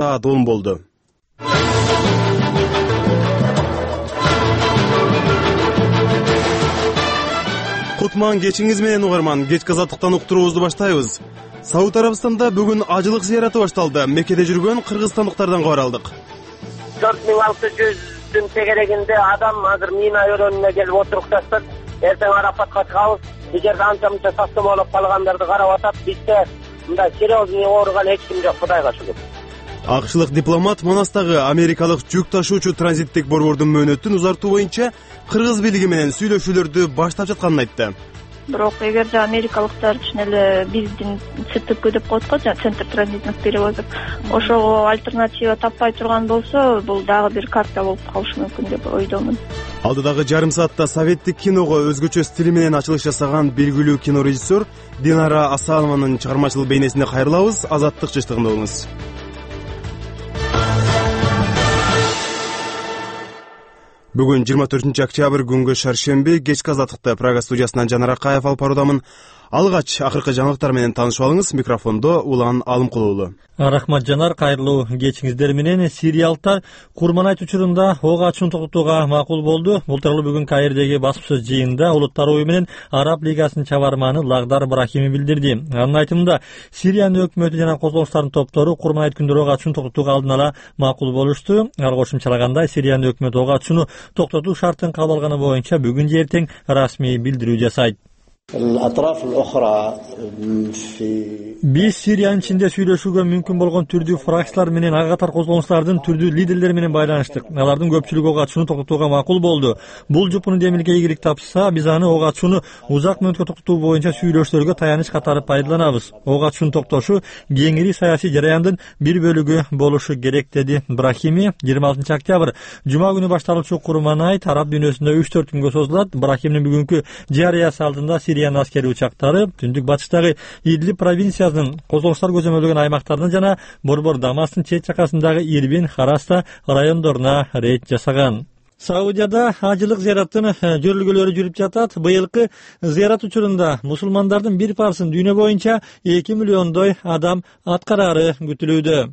атылым болду. Кутман кечиңиз менен угарман, кечки азаттыктан уктуруубузду баштайбыз. Сауд Арабистанда бүгүн ажылык зыяраты башталды. Меккеде жүргөн кыргызстандыктардан кабар алдык. 4600 тегерегинде адам азыр Мина өрөөнүнө келип отурукташты. Эртең Арапатка чыгабыз. Бул жерде анча-мынча сактамалап калгандарды карап атат. Бизде мындай серьезный ооруган эч ким жок, Кудайга шүгүр. Акшлык дипломат Манастагы америкалык жүк ташуучу транзиттик борбордун мөөнөтүн узартуу боюнча кыргыз бийлиги менен сүйлөшүүлөрдү баштап жатканын айтты. Бирок эгерде америкалыктар чын эле биздин ЦТП деп коет го, центр транзитных перевозок, ошого альтернатива таппай турган болсо, бул дагы бир карта болуп калышы мүмкүн деп ойдомун. Алдыдагы жарым саатта советтик киного өзгөчө стили менен ачылыш жасаган белгилүү кинорежиссер Динара Асанованын чыгармачылык бейнесине кайрылабыз. Азаттык жыштыгында болуңуз. Бүгүн 24 октябрь күнгө шаршемби, кечки азаттыкта Прага студиясынан Жанар Акаев алып баруудамын. Алгач акыркы жаңылыктар менен таанышып алыңыз. Микрофондо Улан Алымкулуу уулу. Рахмат Жанар, кайрылуу кечиңиздер менен. Сириялыктар Курманайт учурунда ок ачууну токтотууга макул болду. Бул тууралуу бүгүн Каирдеги басма сөз жыйынында Улуттар ою менен Араб лигасынын чабарманы Лагдар Брахими билдирди. Анын айтымында, Сириянын өкмөтү жана козголуштардын топтору Курманайт күндөрү ок ачууну токтотууга алдын ала макул болушту. Ал кошумчалагандай, Сириянын өкмөтү ок ачууну токтотуу шартын кабыл алганы боюнча бүгүн же эртең расмий билдирүү жасайт. Биз Сириянын ичинде сүйлөшүүгө мүмкүн болгон түрдүү фракциялар менен ага катар козголуштардын түрдүү лидерлери менен байланыштык. Алардын көпчүлүгү ок ачууну токтотууга макул болду. Бул жупуну демилге ийгилик тапса, биз аны ок ачууну узак мөөнөткө токтотуу боюнча сүйлөшүүлөргө таяныч катары пайдаланабыз. Ок ачуунун токтошу кеңири саясий жараяндын бир бөлүгү болушу керек, деди Брахими. 26 октябрь жума күнү башталуучу Курманайт араб дүйнөсүндө 3-4 күнгө созулат. Брахимдин бүгүнкү жарыясы алдында Сириянын аскери учактары түндүк батыштагы Идлиб провинциясынын козголуштар көзөмөлдөгөн аймактарына жана Борбор Дамастын чет жакасындагы Ирбин, Хараста райондоруна рейд жасаган. Саудияда ажылык зыяраттын жөрүлгөлөрү жүрүп жатат. Быйылкы зыярат учурунда мусулмандардын бир парсын дүйнө боюнча 2 миллиондой адам аткарары күтүлүүдө.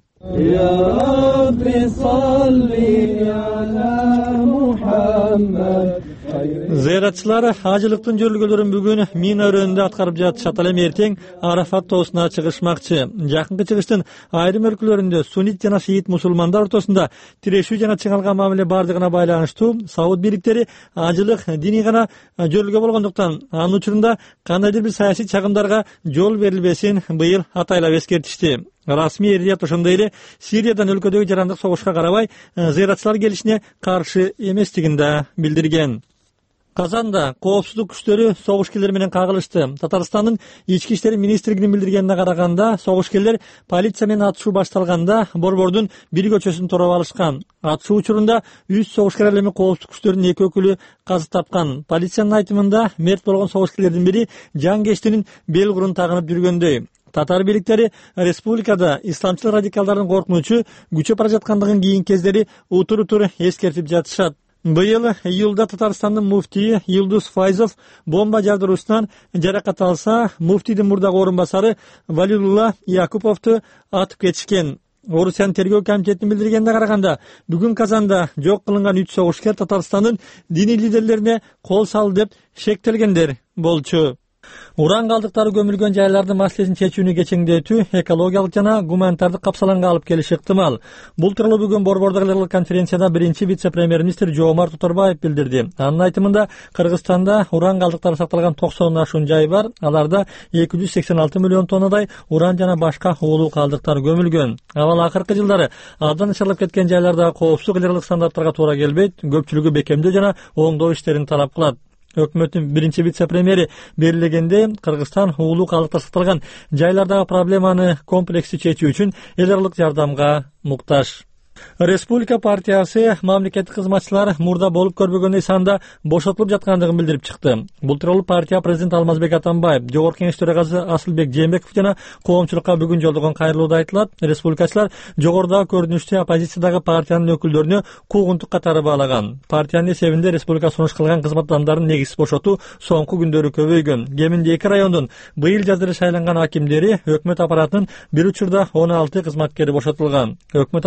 Зыяратчылар ажылыктын жөрүлгөлөрүн бүгүн Мина өрөөнүндө аткарып жатышат. Ал эми эртең Арафат тоосуна чыгышмакчы. Жакынкы чыгыштын айрым өлкөлөрүндө суннит жана шиит мусулмандар ортосунда тирешүү жана чыңалган мамиле бардыгына байланыштуу Сауд бийликтери ажылык диний гана жөрүлгө болгондуктан анын учурунда кандайдыр бир саясий чагымдарга жол берилбесин быйыл атайлап эскертишти. Расмий эрдият ошондой эле Сириядан өлкөдөгү жарандык согушка карабай зыяратчылар келишине каршы эместигин да билдирген. Казанда коопсуздук күчтөрү согушкерлер менен кагылышты. Татарстандын ички иштер министрлигинин билдиргенине караганда, согушкерлер полиция менен атышуу башталганда борбордун бир көчөсүн тороп алышкан. Атышуу учурунда 3 согушкер ал эми коопсуздук күчтөрүнүн 2 өкүлү каза тапкан. Полициянын айтымында мерт болгон согушкерлердин бири жан кештинин бел курун тагынып жүргөндөй. Татар бийликтери республикада исламчыл радикалдардын коркунучу күчөп бара жаткандыгын кийинки кездери утур-утур эскертип жатышат. Быйыл июлда Татарстандын муфтийи Юлдуз Файзов бомба жардыруусунан жаракат алса, муфтийдин мурдагы орун басары Валиулла Якуповду атып кетишкен. Орусиянын тергөө комитетинин билдиргенине караганда, бүгүн Казанда жок кылынган 3 согушкер Татарстандын диний лидерлерине кол салды деп шектелгендер болчу. Уран калдыктары көмүлгөн жайлардын маселесин чечүүнү кечеңдетүү экологиялык жана гуманитардык капсаланга алып келиши ыктымал. Бул тууралуу бүгүн Борбордогу конференцияда биринчи вице-премьер-министр Жоомарт Тоторбаев билдирди. Анын айтымында, Кыргызстанда уран калдыктары сакталган 90 ашуун жай бар. Аларда 286 миллион тоннадай уран жана башка уулуу калдыктар көмүлгөн. Авал акыркы жылдары абдан начарлап кеткен жайларда коопсуздук эле стандарттарга туура келбейт, көпчүлүгү бекемдөө жана оңдоо иштерин талап кылат. Өкмөттүн биринчи вице-премьери белгилегенде, Кыргызстан уулуу калдыктар сакталган жайлардагы проблеманы комплекстүү чечүү үчүн эл аралык жардамга муктаж. Республика партиясы мамлекеттик кызматчылар мурда болуп көрбөгөндөй санда бошотулуп жаткандыгын билдирип чыкты. Бул тууралуу партия президенти Алмазбек Атамбаев, Жогорку Кеңеш төрагасы Асылбек Жээнбеков жана коомчулукка бүгүн жолдогон кайрылууда айтылат. Республикачылар жогорудагы көрүнүштү оппозициядагы партиянын өкүлдөрүнө куугунтук катары баалаган. Партиянын эсебинде республика сунуш кылган кызмат адамдарын негизсиз бошотуу соңку күндөрү көбөйгөн. Кеминде 2 райондун быйыл жаз эле шайланган акимдери, өкмөт аппаратынын бир учурда 16 кызматкери бошотулган. Өкмөт